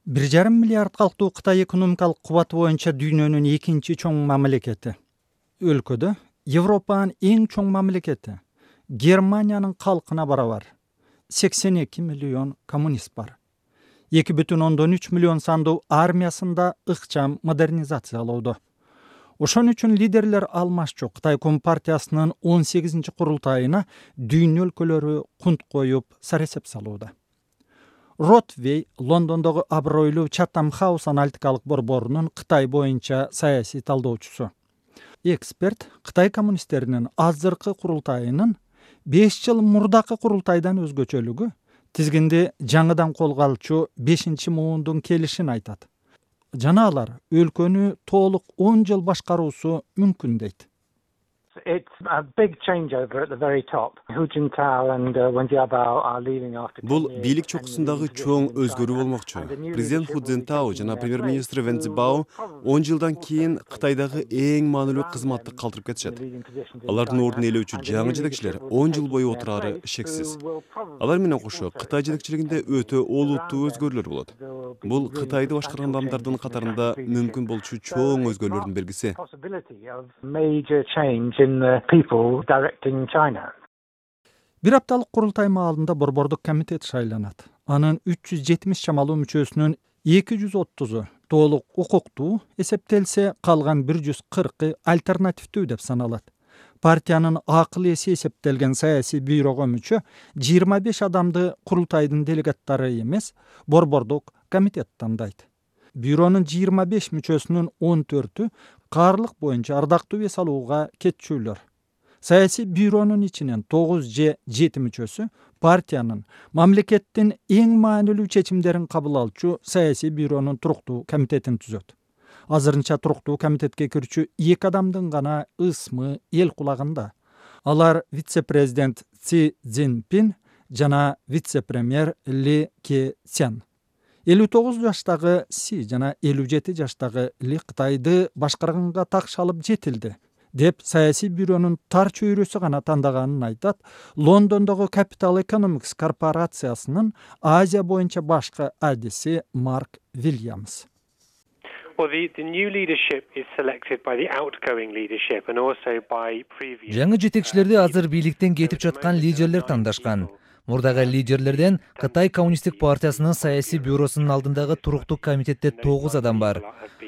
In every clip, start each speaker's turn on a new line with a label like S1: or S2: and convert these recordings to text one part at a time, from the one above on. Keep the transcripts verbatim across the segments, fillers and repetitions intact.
S1: бир жарым миллиард калктуу Кытай экономикалык кубаты боюнча дүйнөнүн экинчи чоң мамлекети. Өлкөдө Европанын эң чоң мамлекети. Германиянын калкына барабар. сексен эки миллион коммунист бар. эки бүтүн ондон үч миллион сандуу армиясында ыкчам модернизациялоодо. Ошон үчүн лидерлер алмашчу Кытай Компартиясынын он сегизинчи курултайына дүйнө өлкөлөрү кунт коюп саресеп салууда. Ротвей Лондондогу абройлуу Chatham House аналитикалык борборунун Кытай боюнча саясий талдоочусу. Эксперт Кытай коммунисттеринин азыркы курултайынын беш жыл мурдакы курултайдан өзгөчөлүгү тизгинди жаңыдан колго алчу бешинчи муундун келишин айтат. Жана алар өлкөнү толук он жыл башкаруусу мүмкүн дейт.
S2: It's a big changeover at the very top. Hu Jintao and uh, Wen Jiabao are leaving after
S3: Бул бийлик чокусундагы чоң өзгөрүү болмокчу. Президент Ху Цзинтао жана премьер-министр Вен Цзибао он жылдан кийин Кытайдагы эң маанилүү кызматты калтырып кетишет. Алардын ордун ээлөөчү жаңы жетекчилер он жыл бою отурары шексиз. Алар менен кошо Кытай жетекчилигинде өтө олуттуу өзгөрүүлөр болот. Бул Кытайды башкарган адамдардын катарында мүмкүн болчу чоң өзгөрүүлөрдүн белгиси.
S2: In the people directing China.
S1: Бир апталык курултай маалында борбордук комитет шайланат. Анын үч жүз жетимиш чамалуу мүчөсүнүн эки жүз отузу толук укуктуу эсептелсе, калган бир жүз кыркы альтернативдүү деп саналат. Партиянын акыл эси эсептелген саясий бюрого мүчө жыйырма беш адамды курултайдын делегаттары эмес, борбордук комитет тандайт. Бюронун жыйырма беш мүчөсүнүн он төртү каарлык боюнча ардактуу эс алууга кетчүлөр. Саясий бюронун ичинен тогуз же жети мүчөсү партиянын мамлекеттин эң маанилүү чечимдерин кабыл алчу саясий бюронун туруктуу комитетин түзөт. Азырынча туруктуу комитетке кирчү эки адамдын гана ысмы эл кулагында. Алар вице-президент Си Цзиньпин жана вице-премьер Ли Кэцян. элүү тогуз жаштагы Си жана элүү жети жаштагы Ли Кытайды башкарганга такшалып жетилди деп саясий бюронун тар чөйрөсү гана тандаганын айтат Лондондогу Capital Economics корпорациясынын Азия боюнча башкы адиси Марк Вильямс.
S4: Well, the, the new leadership is selected by the outgoing leadership and also by previous.
S5: Жаңы жетекчилерди азыр бийликтен кетип жаткан лидерлер тандашкан. Мурдагы лидерлерден Кытай коммунисттик партиясынын саясий бюросунун алдындагы туруктуу комитетте тогуз адам бар.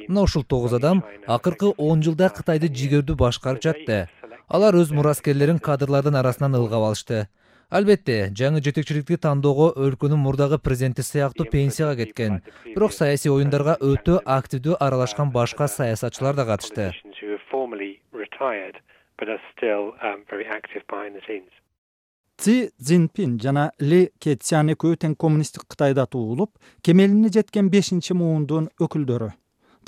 S5: Мына ушул тогуз адам акыркы он жылда Кытайды жигердүү башкарып жатты. Алар өз мураскерлерин кадрлардын арасынан ылгап алышты. Албетте, жаңы жетекчиликти тандоого өлкөнүн мурдагы президенти сыяктуу пенсияга кеткен, бирок саясий оюндарга өтө активдүү аралашкан башка саясатчылар да катышты.
S1: Си Цзиньпин жана Ли Кэцян экөө тең коммунисттик Кытайда туулуп, кемелине жеткен бешинчи муундун өкүлдөрү.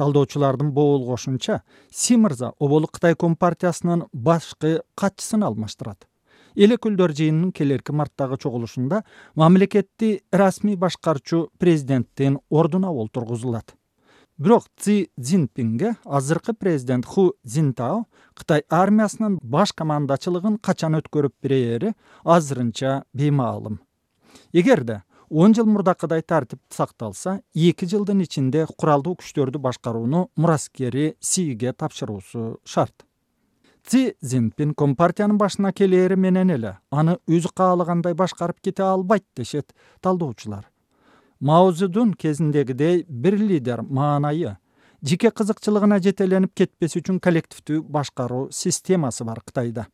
S1: Талдоочулардын боолгошунча, Си мырза оболу Кытай Компартиясынын башкы катчысын алмаштырат. Эл өкүлдөр жыйынынын келерки марттагы чогулушунда мамлекетти расмий башкарчу президенттин ордуна олтургузулат. Бирок Си Цзиньпинге азыркы президент Ху Цзинтао Кытай армиясынын баш командачылыгын качан өткөрүп берери азырынча беймаалым. Эгерде он жыл мурдакыдай тартип сакталса, эки жылдын ичинде куралдуу күчтөрдү башкарууну мураскери Сиге тапшыруусу шарт. Си Цзиньпин Компартиянын башына келери менен эле аны өзү каалагандай башкарып кете албайт дешет талдоочулар. Мао Цзэдун кезиндегидей бир лидер маанайы, жеке кызыкчылыгына жетеленип кетпес үчүн коллективдүү башкаруу системасы бар Кытайда.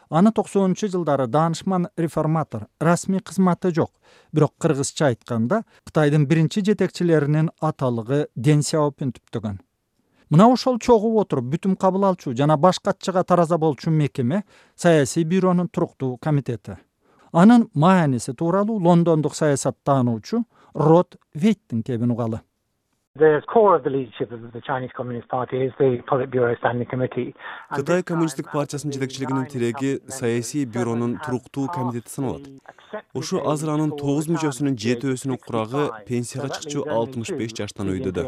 S1: Аны токсонунчу жылдары даанышман реформатор, расмий кызматы жок, бирок кыргызча айтканда Кытайдын биринчи жетекчилеринин аталыгы Дэн Сяопин түптөгөн. Мына ошол чогуп отуруп бүтүм кабыл алчу жана баш катчыга тараза болчу мекеме саясий бюронун туруктуу комитети. Анын мааниси тууралуу лондондук саясаттануучу Рот Вейттин кебин угалы.
S2: The core of the leadership of the Chinese Communist Party is the Politburo Standing Committee.
S3: Кытай коммунисттик партиясынын жетекчилигинин тиреги саясий бюронун туруктуу комитети саналат. Ушу азыр анын тогуз мүчөсүнүн жетөөсүнүн курагы пенсияга чыкчу алтымыш беш жаштан өйдөдө.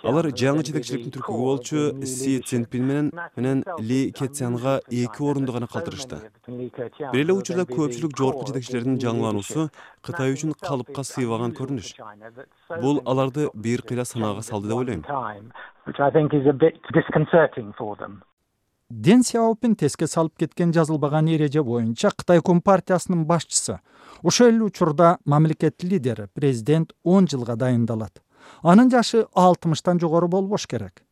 S3: Алар жаңы жетекчиликтин түркүгү болчу Си Цзиньпин менен менен Ли Кэцянга эки орунду гана калтырышты. Бир эле учурда көпчүлүк жогорку жетекчилердин жаңылануусу Кытай үчүн калыпка сыйбаган көрүнүш. бул аларды бир кыйла санаага салды деп ойлойм.
S2: Which I think is a bit disconcerting for them.
S1: Дэн Сяопин теске салып кеткен жазылбаган эреже боюнча Кытай Компартиясынын башчысы ошол эле учурда мамлекет лидери президент он жылга дайындалат. Анын жашы алтымыштан жогору болбош керек.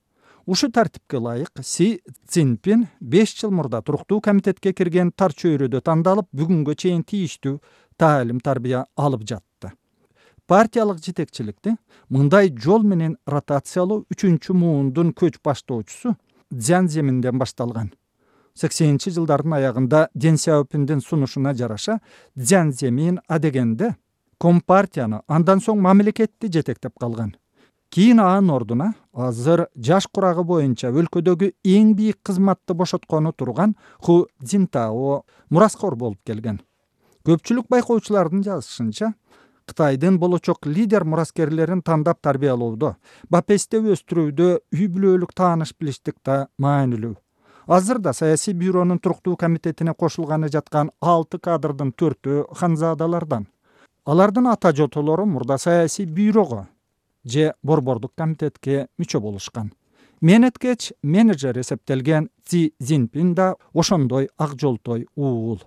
S1: Ушу тартипке ылайык Си Цзиньпин беш жыл мурда туруктуу комитетке кирген тар чөйрөдө тандалып, бүгүнгө чейин тийиштүү таалим тарбия алып жатты. Партиялык жетекчиликти мындай жол менен ротациялоо үчүнчү муундун көч баштоочусу Цзян Земинден башталган. сексенинчи жылдардын аягында Дэн Сяопиндин сунушуна жараша Цзян Земин адегенде Компартияны, андан соң мамлекетти жетектеп калган. Кийин анын ордуна азыр жаш курагы боюнча өлкөдөгү эң бийик кызматты бошоткону турган Ху Цзинтао мураскор болуп келген. Көпчүлүк байкоочулардын жазышынча, Кытайдын болочок лидер мураскерлерин тандап тарбиялоодо, бапесте өстүрүүдө үй бүлөлүк тааныш билиштик да маанилүү. Азырда саясий бюронун туруктуу комитетине кошулганы жаткан алты кадрдын төртөө ханзадалардан. Алардын ата жотолору мурда саясий бюрого же борбордук комитетке мүчө болушкан. Менеткеч менеджер эсептелген Си Цзиньпин да ошондой ак жолтой уул.